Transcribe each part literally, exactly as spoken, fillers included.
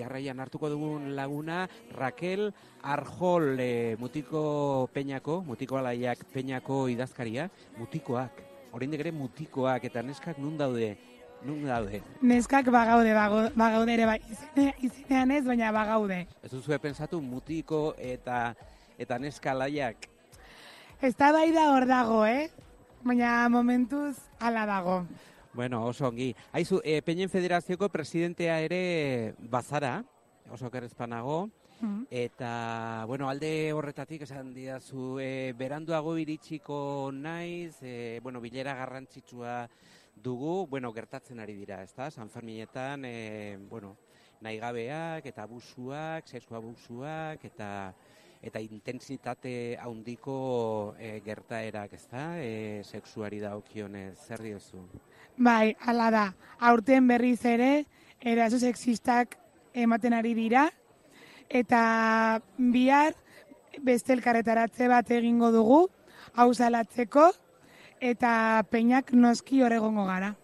jarraian hartuko dugun laguna, Raquel Arjol, e, Mutiko Peñako, Mutiko Alaiak Peñako idazkaria, mutikoak, oraindik ere mutikoak, eta neskak nun daude? Nun daude? Neskak bagaude, bagaude ere bai, izenean ez, baina bagaude. Ez duzue pensatu mutiko eta eta neska alaiak? Ez da bai da hor dago, eh? Baina momentuz hala dago. Bueno, oso ongi. Haizu, e, Peñen Federazioko presidentea ere bazara, oso kerrezpanago, mm. eta, bueno, alde horretatik esan didazu, e, beranduago iritsiko naiz, e, bueno, bilera garrantzitsua dugu, bueno, gertatzen ari dira, ezta? San Ferminetan, e, bueno, nahigabeak eta abusuak, sexu abusuak eta eta intentsitate handiko e, gertaerak, ezta? E, sexuari dagokionez, zer diozu? Bai, hala da. Aurten berriz ere eraso sexistak ematen ari dira eta bihar beste elkarretaratze bat egingo dugu hau salatzeko eta Peñak noski hor egongo gara.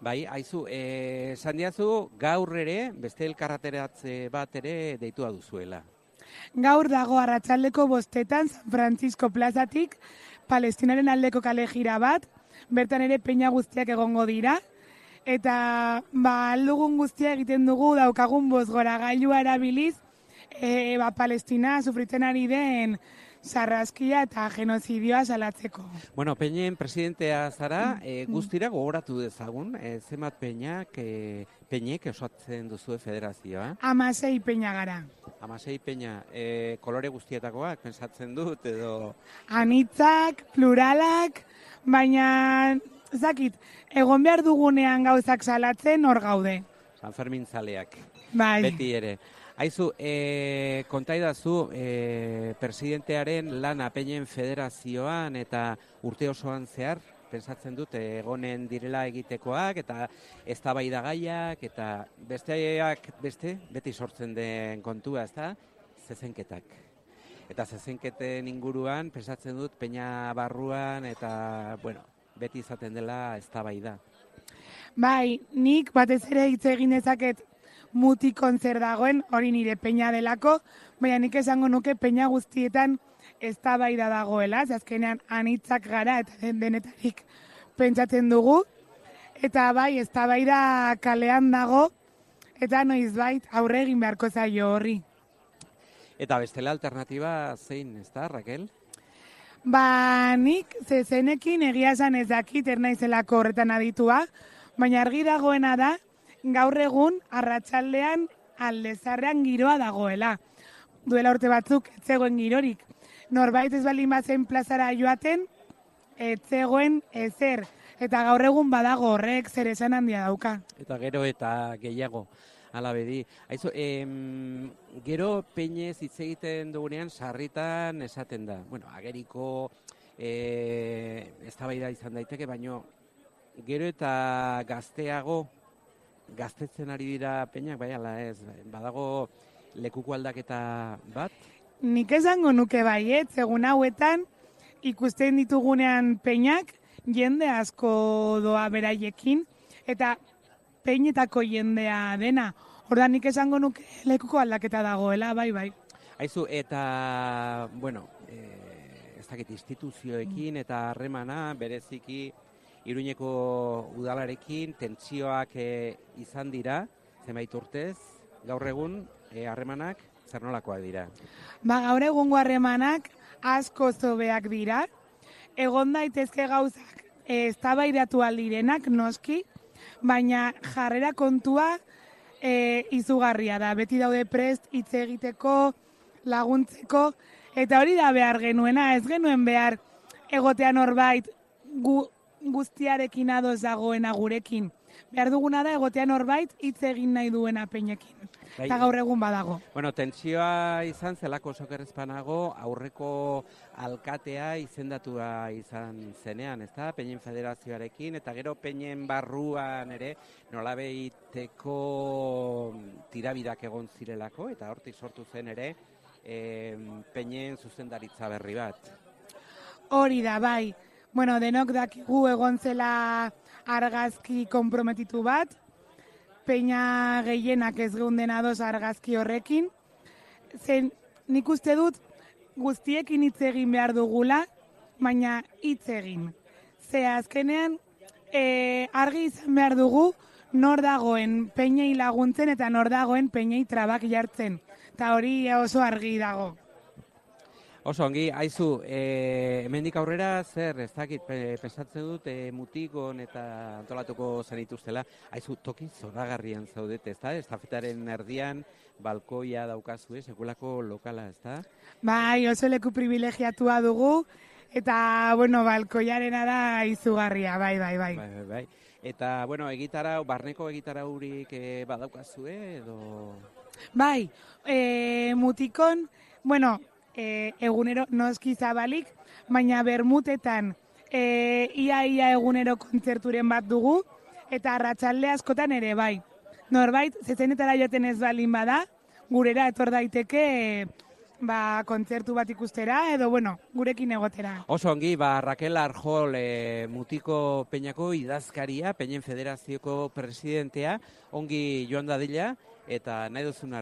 Bai, haizu, eh, esan diazu gaur ere beste elkarretaratze bat ere deitua duzuela. Gaur dago arratsaldeko bostetan San Francisco plazatik Palestinaren aldeko kale jira bat, bertan ere Peña guztiak egongo dira, eta ba, aldugun guztia egiten dugu daukagun bozgora gailua erabiliz, e, ba, Palestina sufritzen ari den sarraskia eta genozidioa salatzeko. Bueno, Peñen presidentea zara, e, guztira gogoratu dezagun, e, zenbat Peñak, e, Peñek osatzen duzue federazioa? Hamasei Peña gara. Hamasei Peña, e, kolore guztietakoak, pensatzen dut, edo... Anitzak, pluralak, baina, zakit, egon behar dugunean gauzak salatzen hor gaude. San Fermin zaleak, bai. Beti ere. Haizu, e, kontaidazu, e, presidentearen lana Peñen federazioan eta urte osoan zehar, pensatzen dut, egonen direla egitekoak eta eztabaidagaiak eta besteak beste, beti sortzen den kontua, ezta? Zezenketak. Eta zezenketen inguruan, pensatzen dut, Peña barruan eta, bueno, beti izaten dela eztabaida. Bai, nik batez ere hitz egin dezaket mutikon zer dagoen, hori nire Peña delako, baina nik esango nuke Peña guztietan eztabaida dagoela, azkenean anitzak gara eta den denetarik pentsatzen dugu, eta bai, eztabaida kalean dago, eta noizbait aurre egin beharko zaio horri. Eta bestela alternatiba zein, ez da, Raquel? Ba, nik zezenekin egia esan ez dakit ernaizelako horretan aditua, baina argi dagoena da, gaur egun arratsaldean aldezarrean giroa dagoela. Duela urte batzuk ez zegoen girorik. Norbait ez baldin bazen plazara joaten, ez zegoen ezer. Eta gaur egun badago horrek zer esan handia dauka. Eta gero eta gehiago, ala bedi. Aizu, em, gero Peñez hitz egiten dugunean sarritan esaten da. Bueno, ageriko e, eztabaida izan daiteke, baino gero eta gazteago gaztetzen ari dira Peñak, bai ala ez, badago lekuko aldaketa bat? Nik esango nuke baiet, egun hauetan ikusten ditugunean Peñak, jende asko doa beraiekin, eta Peñetako jendea dena. Ordan nik esango nuke lekuko aldaketa dagoela, bai, bai. Aizu, eta, bueno, e, ez dakit instituzioekin eta harremana bereziki Iruñeko udalarekin tentsioak e, izan dira, zenbait urtez, gaur egun harremanak e, zer nolakoak dira? Ba, gaur egungo harremanak asko zobeak dira, egon daitezke gauzak eztabaidatu aldirenak noski, baina jarrera kontua e, izugarria da. Beti daude prest hitz egiteko, laguntzeko, eta hori da behar genuena, ez genuen behar egotean horbait gu, guztiarekin ados dagoena gurekin. Behar duguna da egotean horbait hitz egin nahi duena Peñekin. Bai, eta gaur egun badago. Bueno, tentsioa izan zelako sokerrezpanago aurreko alkatea izendatua izan zenean, ezta? Peñen federazioarekin, eta gero Peñen barruan ere nolabeiteko tirabidak egon zirelako, eta hortik sortu zen ere e, Peñen zuzendaritza berri bat. Hori da, bai. Bueno, denok dakigu egon zela argazki konprometitu bat, peina gehienak ez geunden ados argazki horrekin. Zen nik uste dut guztiekin hitz egin behar dugula, baina hitz egin. Ze azkenean e, argi izan behar dugu nor dagoen peinei laguntzen eta nor dagoen peinei trabak jartzen. Eta hori oso argi dago. Oso ongi, haizu, e, hemendik aurrera zer, ez dakit, pensatzen dut e, mutikon eta antolatuko zenituztela, haizu, toki zoragarrian zaudete, ez da? Estafetaren erdian, balkoia daukazue, sekulako lokala, ez da? Bai, oso leku privilegiatua dugu, eta, bueno, balkoiarena da izugarria, bai, bai, bai. Bai, bai, bai. Eta, bueno, egitarau, barneko egitaraurik e, badaukazue, edo... Bai, e, mutikon, bueno, e, egunero noski zabalik, baina bermutetan e, ia ia egunero kontzerturen bat dugu, eta arratsalde askotan ere bai. Norbait, zezenetara joaten ez balin bada, gurera etor daiteke e, ba, kontzertu bat ikustera, edo, bueno, gurekin egotera. Oso ongi, ba, Raquel Arjol e, Mutiko Peñako idazkaria, Peñen Federazioko presidentea, ongi joan dadila, eta nahi duzun arte.